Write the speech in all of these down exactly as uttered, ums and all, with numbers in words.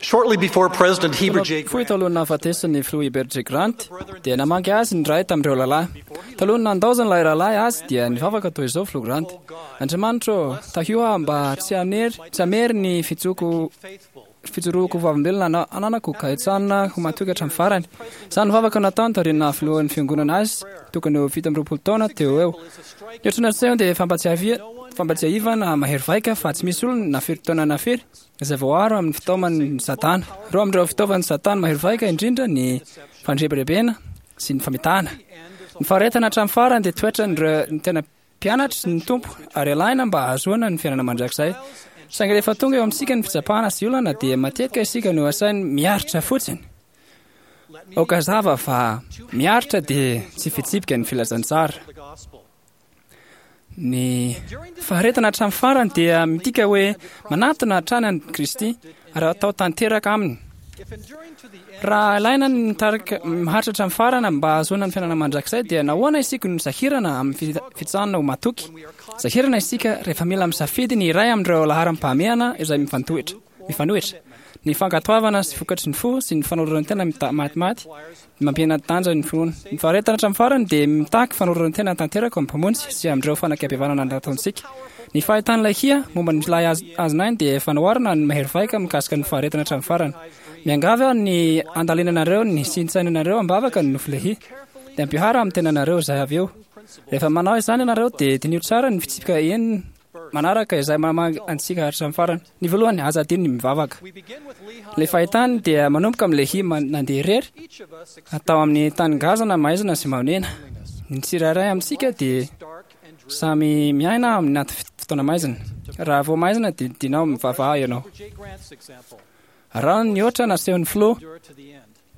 Shortly before President Heber J. Fohy talohan'ny nahafatesan'ny filoha Heber J. Grant dia namangy azy ny iray tamin'ireo rahalahy. Talohan'ny nandaozan'ilay rahalahy azy dia nivavaka toy izao filoha Grant: Andriamanitra ô, tahio aho mba tsy hanery tsy hamery ny fijoko fijoroako ho vavolombelona ananako ka hijanona ho matoky hatramin'ny farany. Izany vavaka nataony taorian'ny naha filohan'ny fiangonana azy tokony ho fito amby roapolo taona teo ho eo. Ny otrona nasehony dia fampatsiahivana mahery vaika fa tsy misy olona na firy taona na firy izay voaaro amin'ny fitaoman'i Satana. Roa amin'ireo fitaovan'i Satana mahery vaika indrindra ny fandrebirebena sy ny famitahana. Ny faharetana hatramin'ny farany dia toetran'ireo ny tena mpianatry ny Tompo ary alaina mba hahazoana ny fiainana mandrakizay. Saingy rehefa tonga eo amintsika ny fitsapana sy olana dia matetika isika no asainy miaritra fotsiny. Aoka hazava fa miaritra dia tsy fitsipika ny filazantsara. Ny faharetana hatramin'ny farany dia midika hoe manatona hatrany an'i Kristy ary atao tanteraka aminy. Raha ilaina ny mitarika maharitra hatramin'ny farany mba hahazoana ny fiainana mandrakizay dia nahoana isika no sahirana amin'ny fitsanana ho matoky? Sahirana isika rehefa mila misafidy ny iray amin'ireo laharam-pahamehana izay mifantohitra, mifanohitra, ny fankatoavana sy vokatry ny fo sy ny fanoloran-tena matimaty mampihena tanja ny finoana. Ny faharetana hatramin'ny farany dia mitaky fanoloran-tena tanteraka amin'ny Mpamonjy sy amin'ireo fanakaibevanana nataontsika. Ny fahitan'ilay hia momba ny lahy azon'ainy dia fanoharana ny mahery vaika mikasika ny faharetana hatramin'ny farany. Miangavy aho ny handalinanareo ny sy hintsainanareo am-bavaka ny nofy Lehia. Dia ampiharo amin'ny tenanareo izay avy eo. Rehefa manao izany ianareo dia diniho tsara ny fitsipika enina manaraka izay mamangy antsika hatramin'ny farany. Ny voalohany, aza adino ny mivavaka. Ilay fahitany dia manomboka amin'i Lehia nandeha irery tao amin'ny tany ngazana maizina sy mahonena. Ny tsirairay amintsika dia samy miaina amin'ny anaty fotoana maizina. Raha vao maizina dia dinao mivavaha ianao. Araho ny ohatra nasehon'ny filoha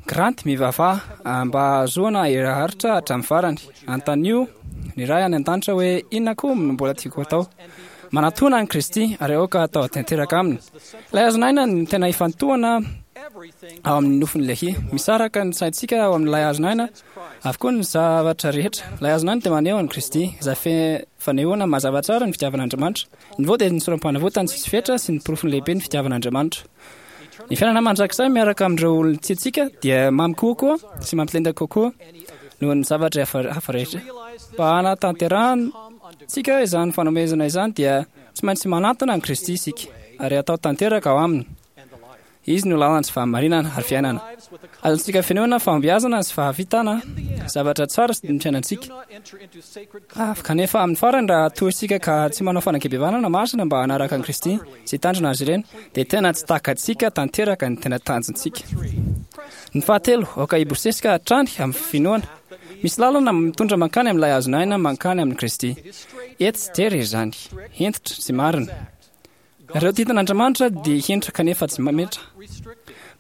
Grant, mivavaha mba hahazoana hery haharitra hatramin'ny farany. Anontanio ny Ray any an-danitra hoe inona koa no mbola tiako hatao. Manatòna an'i Kristy ary aoka hatao tanteraka aminy. Ilay hazon'aina no tena ifantohana ao amin'ny nofin'i Lehia. Misaraka ny saintsika ao amin'ilay hazon'aina avokoa ny zavatra rehetra. Ilay hazon'aina dia maneho an'i Kristy, izay fanehoana mazava tsara ny fitiavan'Andriamanitra. Ny vao dia ny sorom-panavotany tsisy fetra sy ny porofony lehibe ny fitiavan'Andriamanitra. Ny fiainana mandrakizay miaraka amin'ireo olon-tiantsika dia mamy kokoa sy mampilenda kokoa noho ny zavatra hafa rehetra. Mba hanatanterahantsika izany fanomezana izany dia tsy maintsy manatona an'i Kristy isika ary atao tanteraka ao aminy. Izy no lalana sy fahamarinana ary fiainana. Azontsika fenoina fahombiazana sy fahavitana zavatra tsara ny fiainantsika. Ah, kanefa amin'ny farany raha toa isika ka tsy manao fanankebevanana masina mba hanaraka an'i Kristy sy hitandrina azy ireny, dia tena tsy takatsika tanteraka ny tena tanjontsika. Ny fahatelo, aoka hibosesika hatrany amin'ny finoana. Misy lalana mitondra mankany amin'ilay hazon'aina mankany amin'i Kristy. Etsy tery izany, hentitra sy marina. Ireo didin'Andriamanitra dia hentitra kanefa tsy mametra.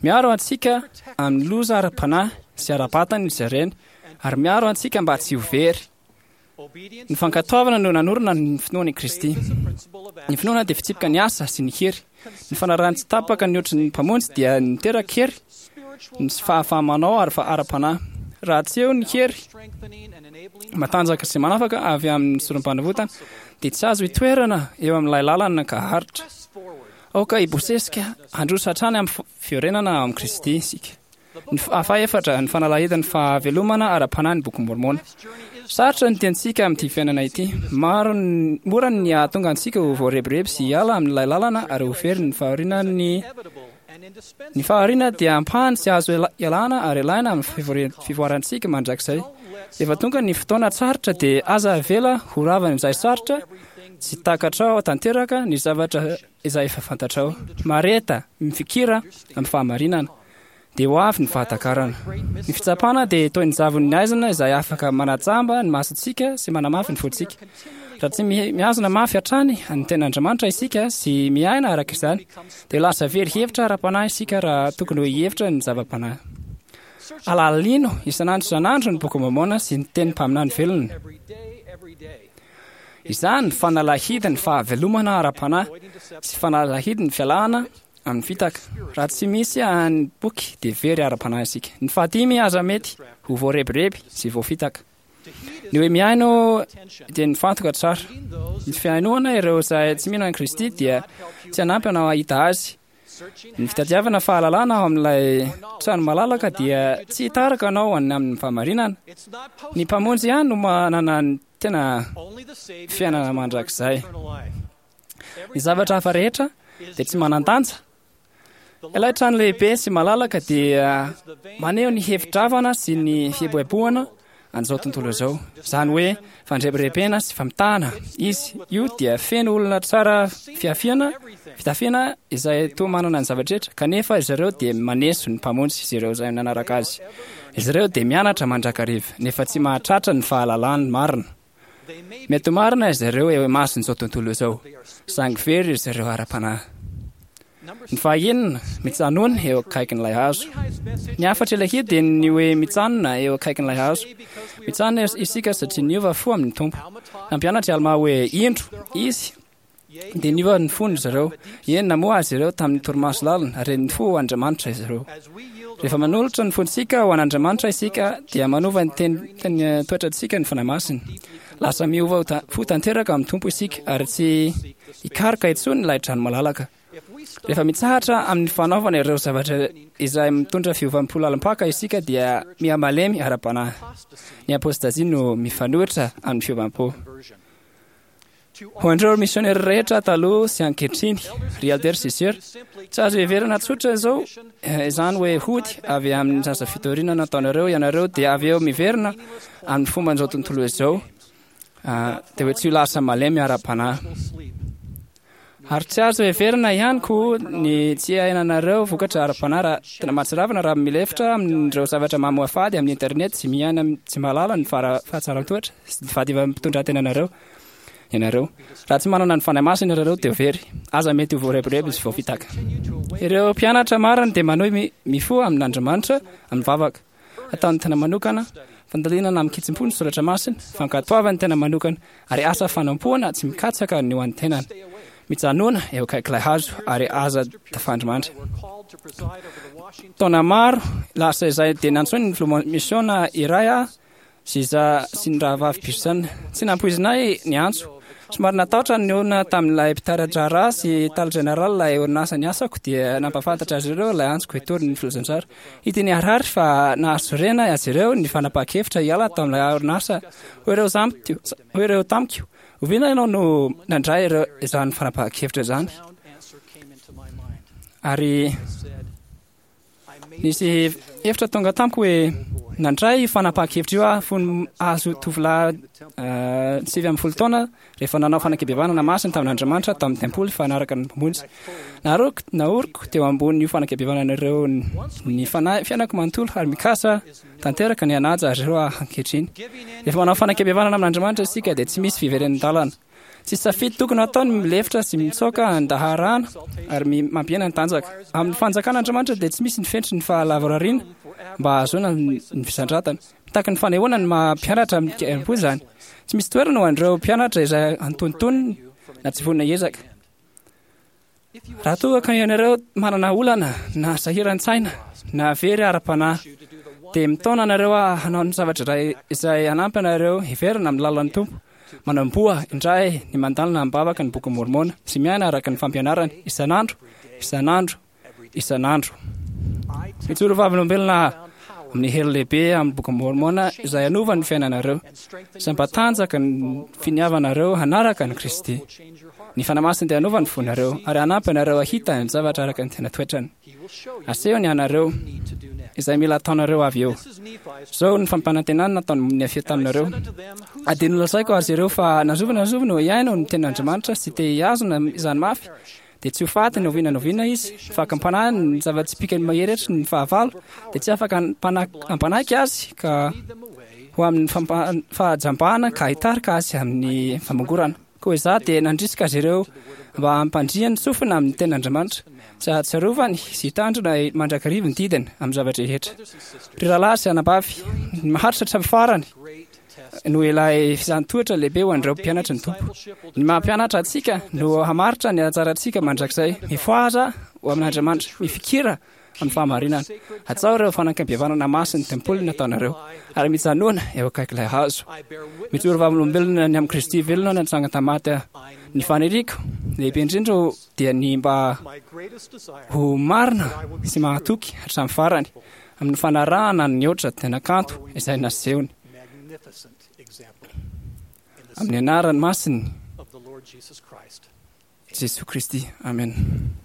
Miaro antsika amin'ny loza ara-panahy sy ara-batana izy ireny ary miaro antsika mba tsy ho very. Ny fankatoavana no nanorina ny finoana i Kristy. Ny finoana dia fitsipika ny asa sy ny hery. Ny fanarahana tsy tapaka ny ohatry ny Mpamonjy dia niteraka hery ny sy fahafaha-manao ary ara-panahy. Raha tsy eo ny hery matanjaka sy manafaka avy amin'ny sorom-panavotana dia tsy azo itoerana eo amin'ilay lalana ka haharitra. Aoka hibosesika handroso hatrany amin'ny fiorenana ao amin'i Kristy isika. Ny fahaefatra, ny fanalahidin'ny fahavelomana ara-panahy ny Boky Môrmôna. Sarotra ny tiantsika amin'ity fiainana ity. Maro ny, mora ny hahatonga antsika ho voarebireby sy hiala amin'ilay lalana ary ho very ny fahorian'ny Ny fahariana dia ampahany tsy azo ialana ary ilaina amin'ny fivoarantsika mandrakizay. Rehefa tonga ny fotoana sarotra dia aza avela ho ravan'izay sarotra tsy takatrao tanteraka ny zavatra izay efa fantatrao. Mahareta, mifikira amin'ny fahamarinana. Dia ho avy ny fahatakarana. Ny fitsapana dia toy ny zavon'ny haizina izay afaka manajamba ny masontsika sy manamafy ny fontsika. Raha tsy mihazona mafy hatrany ny Tenin'Andriamanitra isika sy miaina araka izany, dia lasa very hevitra ara-panahy isika raha tokony ho hihevitra ny zava-panahy. Alalino isan'andro isan'andro ny Boky Môrmôna sy ny tenin'ny mpaminany velona. Izany fanalahidin'ny fahavelomana ara-panahy sy fanalahidin'ny fialana amin'ny fitaka. Raha tsy misy ny boky dia very ara-panahy isika. Ny fahadimy aza mety ho voarebireby sy voafitaka. Ny hoe mihaino dia nifantoka tsara. Ny fihainoana ireo izay tsy mino an'i Kristy dia tsy hanampy anao hahita Azy. Ny fitadiavana fahalalana ao amin'ilay trano malalaka dia tsy hitarika anao any amin'ny fahamarinana. Ny Mpamonjy ihany no manana ny tena fiainana mandrakizay. Ny zavatra hafa rehetra dia tsy manan-danja. Ilay trano lehibe sy malalaka dia maneho ny hevi-dravana sy ny fieboeboana an'izao tontolo izao. Izany hoe fandrebirebena sy famitahana. Izy io dia feno olona tsara fiafiana, fitafiana izay toa manana ny zavatra rehetra, kanefa izy ireo dia maneso ny Mpamonjy izy ireo izay nanaraka azy. Izy ireo dia mianatra mandrakariva, nefa tsy mahatratra ny fahalalany marina. Mety ho marina izy ireo eo imason'izao tontolo izao, saingy very izy ireo ara-panahy. Ny fahaenina, mitsanona eo akaikin'ilay hazo. Ny hafatr' ilay hira dia ny hoe mitsanona eo akaikin'ilay hazo. Mitsanona isika satria niova fo amin'ny Tompo. Nampianatra i Almà hoe indro izy dia niova ny fony izy ireo. Eny, namoha azy ireo tamin'ny torimaso lalina ary nifoha ho Andriamanitra izy ireo. Rehefa manolotra ny fontsika ho an'Andriamanitra isika dia manova ny teny teny toetrantsika ny Fanahy Masina. Lasa miova ho ta- fo tanteraka amin'ny Tompo isika ary tsy hikaroka intsony ilay trano malalaka. Rehefa mitsahatra amin'ny fanaovana ireo zavatra izay mitondra fiovam-po lalim-paka isika dia mihamalemy ara-panahy. Ny apôstazia no mifanohitra amin'ny fiovam-po. Ho an'ireo misionera rehetra taloha sy ankehitriny, ry Elder sy Sœur, tsy azo heverina tsotra izao izany hoe hody avy amin'ny asa fitoriana nataonareo ianareo dia avy eo miverina amin'ny fomban'izao tontolo izao, dia hoe tsy ho lasa malemy ara-panahy. Ary tsy azo heverina ihany koa ny tsy iainanareo vokatra ara-panahy raha tena mahatsiravina raha milefitra amin'ireo zavatra mamoafady amin'ny internet sy miaina tsy mahalala ny fahatsaran-toetra sy ny fahadivam-pitondran-tenanareo ianareo. Raha tsy manana ny Fanahy Masina ianareo dia ho very. Aza mety ho voarebireby sy voafitaka. Ireo mpianatra marina dia manohy mifoha amin'Andriamanitra amin'ny vavaka. Ataon'ny tena manokana, fandalinana amin-kitsim-po ny soratra masina, fankatoavan'ny tena manokana, ary asa fanompoana tsy mikatsaka ny ho an'ny tenany. Mijanona eo akaik'ilay hazo ary aza tafandrimandry. Taona maro lasa izay dia nantsoin'ny filoha misiona iray aho sy izaho sy ny rahavavy Pearson. Tsy nampoizinay ny antso. Somary natahotra ny olona tamin'ilay mpitari-draharaha sy tale général ilay orinasa niasako dia nampahafantatra azy ireo ilay antsoko hitory ny filazantsara. Hita niharihary fa nahasorena azy ireo ny fanapahan-kevitra hiala tamin'ilay orinasa. Hoy ireo zamiko, hoy ireo tamiko, oviana ianao no nandray ireo izany fanapahan-kevitra izany? Ary nisy hevitra tonga tamiko hoe nandray io fanapahan-kevitra io aho fony azo tovolahy sivy ambin'ny folo taona rehefa nanao fanekempihavanana masina tamin'Andriamanitra tamin'ny tempoly fa hanaraka ny Mpamonjy. Naroko, naoriko teo ambonin'io fanekempihavanana ireo ny fanahy fiainako manontolo ary mikasa tanteraka ny hanaja azy ireo aho ankehitriny. Rehefa manao fanekempihavanana amin'Andriamanitra isika dia tsy misy fiverenan-dalana. Tsy safidy tokony hatao ny milefitra sy mitsoaka an-daharana ary mampihena ny tanjaka. Amin'ny fanjakan'Andriamanitra dia tsy misy ny fentry ny fahalavorariana mba hahazoana ny fisandratana. Mitaky ny fanehoana ny maha mpianatra amin-kerim-po izany. Tsy misy toerana ho an'ireo mpianatra izay antonontonony na tsy vonona hiezaka. Raha toa ka ianareo manana olana na sahiran-tsaina na very ara-panahy, dia mitaona anareo aho hanao ny zavatra iray izay hanampy anareo hiverina amin'ny lalan'ny Tompo. Manamboa indray ny mandalina am-bavaka ny Bokin'i Môrmôna sy miaina araka ny fampianarany isan'andro, isan'andro, isan'andro. Mijoro vavolombelona amin'ny hery lehibe amin'ny Bokin'i Môrmôna izay hanova ny fiainanareo sy hampatanjaka ny finiavanareo hanaraka an'i Kristy. Ny Fanahy Masina dia hanova ny fonareo ary hanampy anareo hahita ny zavatra araka ny tena toetrany. Asehony anareo izay mila ataonareo avy eo. Izao ny fampanantenana nataon'i Nefia taminareo. Ary dia nolazaiko azy ireo fa na zovy na zovy no hihaino ny tenin'Andriamanitra sy te hihazona izany mafy, dia tsy ho faty na oviana na oviana izy. Ny fakam-panahy, ny zava-tsipìkany mahery hetry ny fahavalo, dia tsy afaka hampanaiky azy ka ho amin'ny fahajambana ka hitarika azy amin'ny famongorana. Koa izaho dia nandrisika azy ireo mba hampandriany sofina amin'ny tenin'Andriamanitra, sy hahatsiarovany sy hitandrina mandrakariva ny didiny amin'ny zava-drehetra. Ry rahalahy sy anabavy, ny maharitra hatramin'ny farany no ilay fizahàn-toetra lehibe ho an'ireo mpianatry ny Tompo. Ny maha mpianatra antsika no hamaritra ny hatsarantsika mandrakizay. Mifohaza ho amin'Andriamanitra, mifikira amin'ny fahamarinana. Hajao ireo fanekempihavanana masin'ny tempoly nataonareo ary mijanona eo akaik'ilay hazo. Mijoro vavolombelona ny amin'i Kristy velona natsangana tamin'ny maty aho. Ny faniriako lehibe indrindra dia ny mba ho marina sy mahatoky hatramin'ny farany amin'ny fanarahana ny ohatra tena kanto izay nasehony. Amin'ny anarany masiny Jesoa Kristy. Amen.